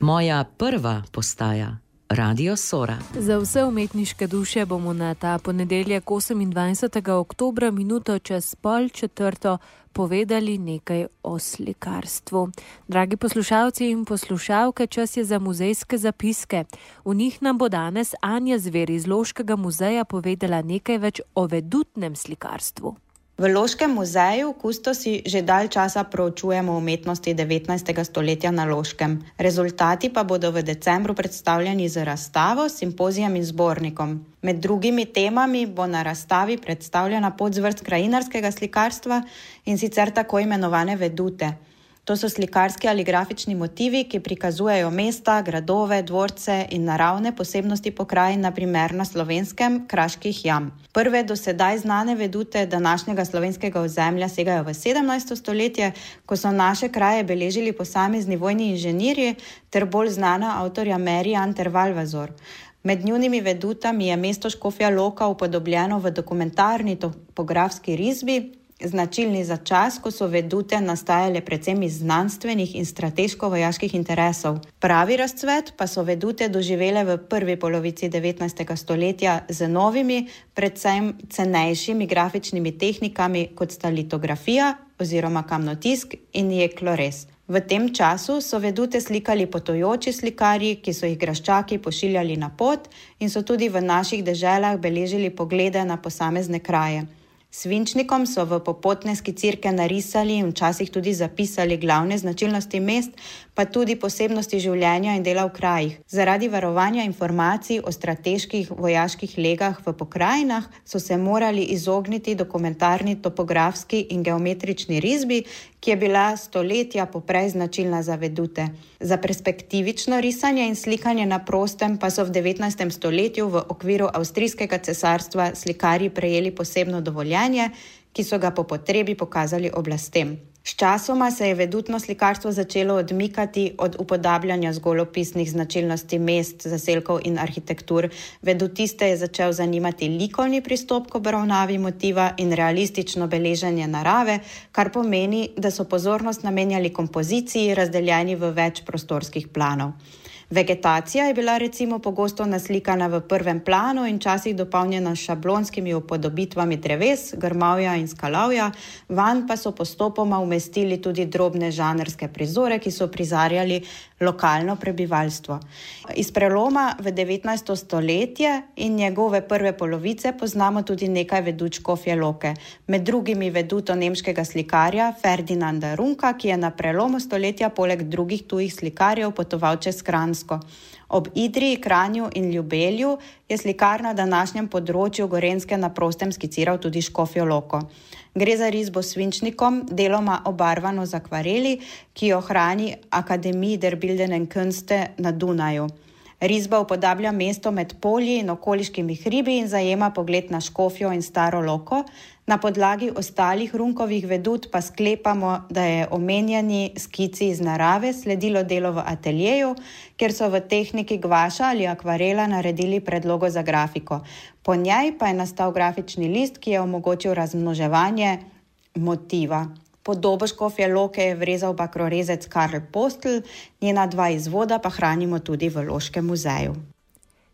Moja prva postaja, Radio Sora. Za vse umetniške duše bomo na ta ponedeljek 28. oktobra minuto čez 3:30 povedali nekaj o slikarstvu. Dragi poslušalci in poslušalke, čas je za muzejske zapiske. V njih nam bo danes Anja Zver iz Loškega muzeja povedala nekaj več o vedutnem slikarstvu. V Loškem muzeju kustosi že dalj časa proučujemo umetnosti 19. stoletja na Loškem. Rezultati pa bodo v decembru predstavljeni z razstavo, simpozijem in zbornikom. Med drugimi temami bo na razstavi predstavljena podzvrst krajinarskega slikarstva in sicer tako imenovane vedute. To so slikarski ali grafični motivi, ki prikazujejo mesta, gradove, dvorce in naravne posebnosti pokrajin, na primer na Slovenskem kraških jam. Prve do sedaj znane vedute današnjega slovenskega ozemlja segajo v 17. stoletje, ko so naše kraje beležili posamezni vojni inženirji ter bolj znana avtorja Merian ter Valvazor. Med njunimi vedutami je mesto Škofja Loka upodobljeno v dokumentarni topografski risbi, značilni za čas, ko so vedute nastajale predvsem iz znanstvenih in strateško-vojaških interesov. Pravi razcvet pa so vedute doživele v prvi polovici 19. stoletja z novimi, predvsem cenejšimi grafičnimi tehnikami, kot sta litografija oziroma kamnotisk in jeklorez. V tem času so vedute slikali potujoči slikarji, ki so jih graščaki pošiljali na pot in so tudi v naših deželah beležili poglede na posamezne kraje. Svinčnikom so v popotne skicirke narisali in včasih tudi zapisali glavne značilnosti mest, pa tudi posebnosti življenja in dela v krajih. Zaradi varovanja informacij o strateških vojaških legah v pokrajinah so se morali izogniti dokumentarni topografski in geometrični risbi, ki je bila stoletja poprej značilna za vedute. Za perspektivično risanje in slikanje na prostem pa so v 19. stoletju v okviru Avstrijskega cesarstva slikarji prejeli posebno dovoljenje, ki so ga po potrebi pokazali oblastem. Sčasoma se je vedutno slikarstvo začelo odmikati od upodabljanja zgolj opisnih značilnosti mest, zaselkov in arhitektur. Vedutiste je začel zanimati likovni pristop k obravnavi motiva in realistično beleženje narave, kar pomeni, da so pozornost namenjali kompoziciji, razdeljeni v več prostorskih planov. Vegetacija je bila recimo pogosto naslikana v prvem planu in časih dopolnjena s šablonskimi upodobitvami dreves, grmovja in skalavja, vanj pa so postopoma umestili tudi drobne žanrske prizore, ki so prizarjali lokalno prebivalstvo. Iz preloma v 19. stoletje in njegove prve polovice poznamo tudi nekaj vedut Škofje Loke. Med drugimi veduto nemškega slikarja Ferdinanda Runka, ki je na prelomu stoletja poleg drugih tujih slikarjev potoval čez Kranjsko. Ob Idriji, Kranju in Ljubelju je slikar na današnjem področju Gorenjske na prostem skiciral tudi Škofjo Loko. Gre za risbo s svinčnikom, deloma obarvano z akvareli, ki jo hrani Akademie der Bildenden Künste na Dunaju. Risba upodablja mesto med polji in okoliškimi hribi in zajema pogled na Škofjo in Staro Loko. Na podlagi ostalih Runkovih vedut pa sklepamo, da je omenjeni skici iz narave sledilo delo v ateljeju, kjer so v tehniki gvaša ali akvarela naredili predlogo za grafiko. Po njej pa je nastal grafični list, ki je omogočil razmnoževanje motiva. Podobo Škofje Loke je vrezal bakrorezec Karl Postl, njena dva izvoda pa hranimo tudi v Loškem muzeju.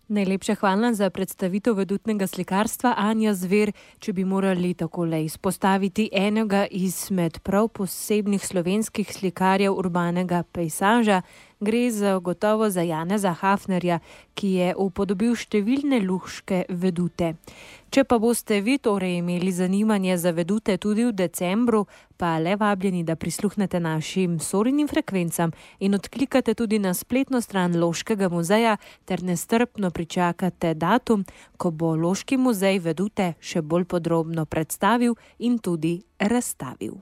Najlepša hvala za predstavitev vedutnega slikarstva, Anja Zver. Če bi morali takole izpostaviti enega izmed prav posebnih slovenskih slikarjev urbanega pejsaža, gre gotovo za Janeza Hafnerja, ki je upodobil številne luške vedute. Če pa boste vi torej imeli zanimanje za vedute tudi v decembru, pa le vabljeni, da prisluhnete našim Sorinim frekvencam in odklikate tudi na spletno stran Loškega muzeja ter nestrpno pričakate datum, ko bo Loški muzej vedute še bolj podrobno predstavil in tudi razstavil.